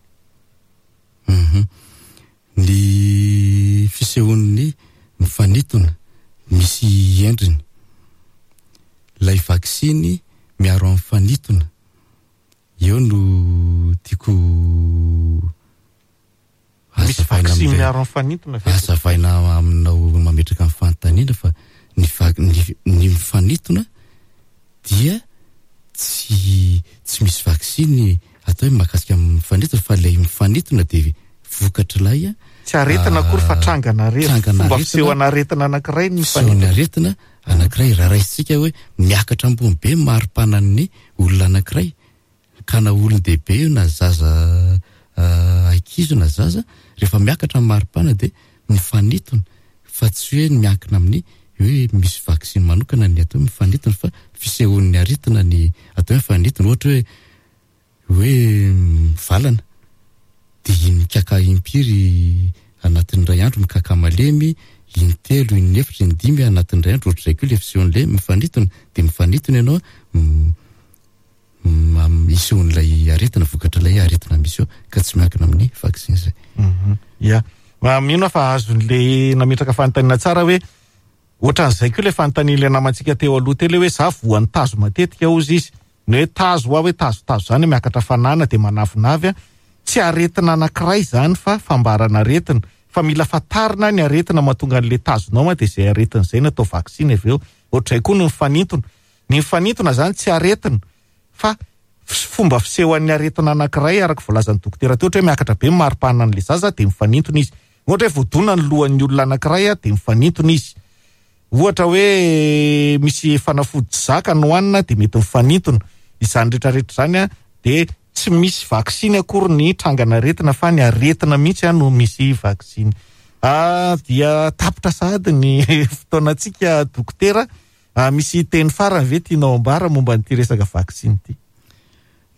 Hum Ny fisehoan'ny mifanintona misy endriny. Ilay vaksiny miaro amin'ny fanintona eo no tiako Misy vaksiny miaro amin'ny fanintona ve? Hazavaina aminao mametraka ny fanontaniana fa ny ny mifanintona dia tsy tsy misy vaksiny atao hoe mahakasika amin'ny mifanintona fa ilay mifanintona dia vokatr'ilay Tsy aretina akory fa trangan'aretina, fomba fisehon'aretina anankiray ny mifanintona. Fisehon'aretina anankiray, raha raisintsika hoe miakatra ambony be ny maripanan'ny olona anankiray Ka na olon-dehibe io na zaza ankizy io na zaza, rehefa miakatra ny maripana dia mifanintona fa tsy hoe miankina amin'ny hoe misy vaksiny manokana ny atao hoe mifanintona fa fisehoan'ny aretina ny atao hoe mifanintona. Ohatra hoe hoe mivalana dia mikaka impiry anatin'ny iray andro, mikaka malemy intelo, inefatra, indimy anatin'ny iray andro, ohatr'izay koa ilay fisehoan'ilay mifanintona dia mifanintona ianao Isehoan'ilay aretina, vokatr'ilay aretina misy eo, ka tsy miankina amin'ny vaksiny izay. Ya. Mino aho fa azon'ilay nametraka fanontaniana tsara hoe ohatran'izay koa ilay fanontanian'ilay namantsika teo aloha teo ilay hoe za voan'ny tazo matetika hozy izy. Ny hoe tazo hoa hoe tazotazo izany miakatra fanana dia manavinavy an. Tsy aretina anankiray izany fa fambaran'aretina. Fa mila fantarina ny aretina mahatonga an'ilay tazonao an dia izay aretina izay no atao vaksiny avy eo. Ohatr'izay koa ny mifanintona. Ny mifanintona izany tsy aretina fa fomba fisehoan'ny aretina anankiray araka voalazan'ny dokotera teo, ohatra hoe miakatra be ny maripanan'ilay zaza dia mifanintona izy. Ohatra hoe voadona ny lohan'ny olona anankiray dia mifanintona izy. Ohatra hoe misy fanafody tsy zaka no hanina dia mety mifanintona. Izany rehetra rehetra izany dia tsy misy vaksiny akory ny trangan'aretina fa ny aretina mihitsy no misy vaksiny. Dia tapitra sahady ny fotoanantsika dokotera. Ah, misy teny farany ve tianao ambara momba an'ity resaka vaksiny ity?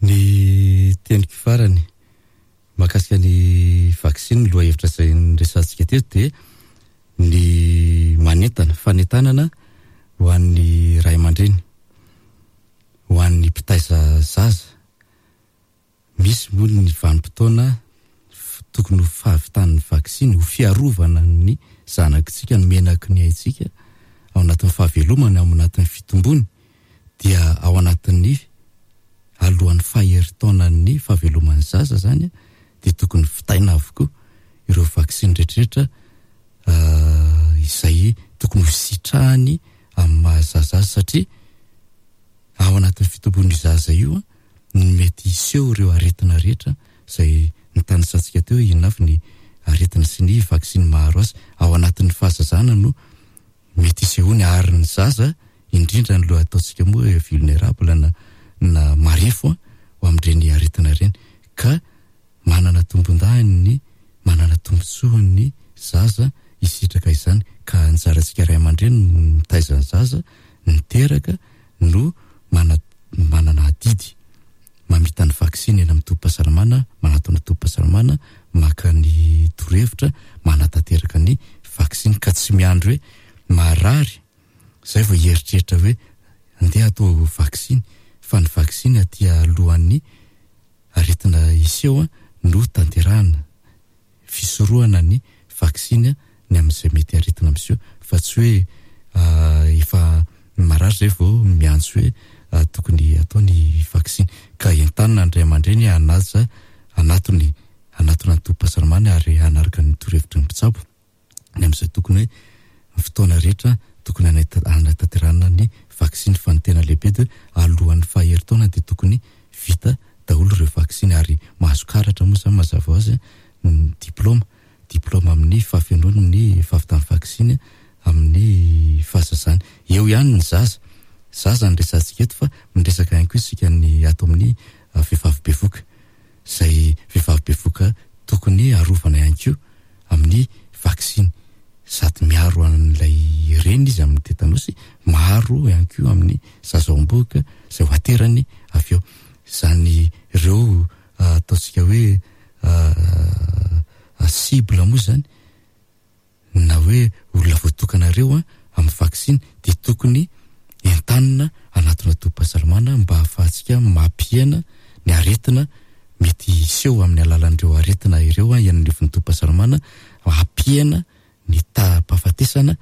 Ny teniko farany mahakasika ny vaksiny, ny lohahevitra izay niresahantsika teto dia ny manentana, fanentanana ho an'ny ray aman-dreny, ho an'ny mpitaiza zaza. Misy moa ny vanim-potoana tokony ho fahavitan'ny vaksiny ho fiarovana ny zanakitsika, ny menaky ny aintsika ao anatin'ny fahavelomany, ao anatin'ny fitombony dia ao anatin'ny alohan'ny faherin-taonan'ny fahaveloman'ny zaza izany dia tokony vitaina avokoa ireo vaksiny rehetrarehetra izay tokony ho sitrahany amin'ny maha zaza azy satria ao anatin'ny fitombon'io zaza io no mety hiseho ireo aretina rehetra izay notanisantsika teo hoe inona avy ny aretina sy ny vaksiny maharo azy. Ao anatin'ny fahazazana no mety hisehoany ary ny zaza indrindra ny loha ataontsika moa hoe vulnerable na na marefo ho amin'ireny aretina ireny ka manana tombondahiny ny manana tombotsoa ny zaza hisitraka izany ka anjarantsika ray aman-dreny no mitaiza ny zaza niteraka no mana manana adidy mamita ny vaksiny eny amin'ny tobim-pahasalamana, manatona tobim-pahasalamana, maka ny torohevitra, manatanteraka ny vaksiny ka tsy miandry hoe marary zay vao hieritreritra hoe andeha atao vaksiny fa ny vaksiny aty alohan'ny aretina hiseho no tanterahina. fisorohana ny vaksiny ny amin'izay mety aretina miseho fa tsy hoe efa marary zay vao miantso hoe tokony atao ny vaksiny ka entanina ny ray aman-dreny hanaja hanatony. hanatona ny tobim-pahasalamana ary hanaraka ny torohevitry ny mpitsabo ny amin'izay tokony hoe ny fotoana rehetra tokony hanatanterahana ny vaksiny fa ny tena lehibe dia alohan'ny faha herintaona dia tokony vita daholo ireo vaksiny ary mahazo karatra moa izany mazava ho azy ny diplaoma diplaoma amin'ny fahafenoany ny fahavitan'ny vaksiny amin'ny fahazazany. Eo ihany ny zaza. Zaza no resahantsika eto fa miresaka ihany koa isika ny ato amin'ny vehivavy bevoka. Izay vehivavy bevoka tokony arovana ihany koa amin'ny vaksiny. Sady miaro an'ilay reny izy amin'ny tetanosy, maro ihany koa amin'ny zaza ao am-bohoka izay ho aterany avy eo. Izany ireo ataontsika hoe cible moa izany na hoe olona voatokana ireo amin'ny vaksiny dia tokony entanina hanatona tobim-pahasalamana mba hahafahantsika mampihena ny aretina mety hiseho amin'ny alalan'ireo aretina ireo eny anivon'ny tobim-pahasalamana, hampihena ny taham-pahafatesana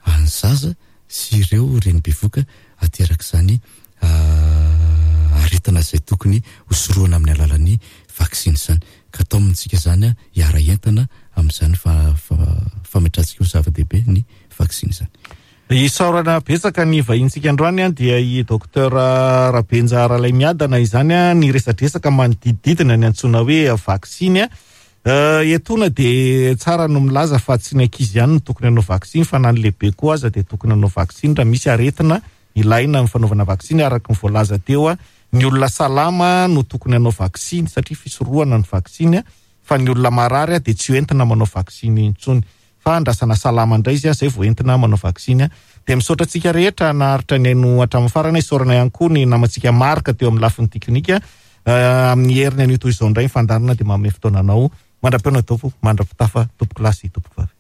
an'ny zaza sy ireo reny bevoka aterak'izany aretina izay tokony hosorohana amin'ny alalan'ny vaksiny izany. Ka taomintsika izany hiara-hientana amin'izany fametrahantsika ho zava-dehibe ny vaksiny izany. Isaorana betsaka ny vahintsika androany dia i Docteur Rabenja Ralaimiadana izany niresadresaka manodidididina ny antsoina hoe vaksiny. Etoana dia tsara no milaza fa tsy ny ankizy ihany no tokony hanao vaksiny fa na ny lehibe koa aza dia tokony hanao vaksiny raha misy aretina ilaina amin'ny fanaovana vaksiny araka ny voalaza teo ny olona salama no tokony hanao vaksiny satria fisorohana ny vaksiny fa ny olona marary dia tsy hoentina manao vaksiny intsony fa andrasana salama indray izy izay vao entina manao vaksiny. Dia misaotra antsika rehetra naharitra nihaino hatramin'ny farany. Isaorana ihany koa ny namantsika Marc teo amin'ny lafiny teknika. Amin'ny heriny anio toy izao indray ny fandaharana dia manome fotoana anao. Mandra-pihaona tompoko, mandra-pitafa tompoko lahy sy tompoko vavy.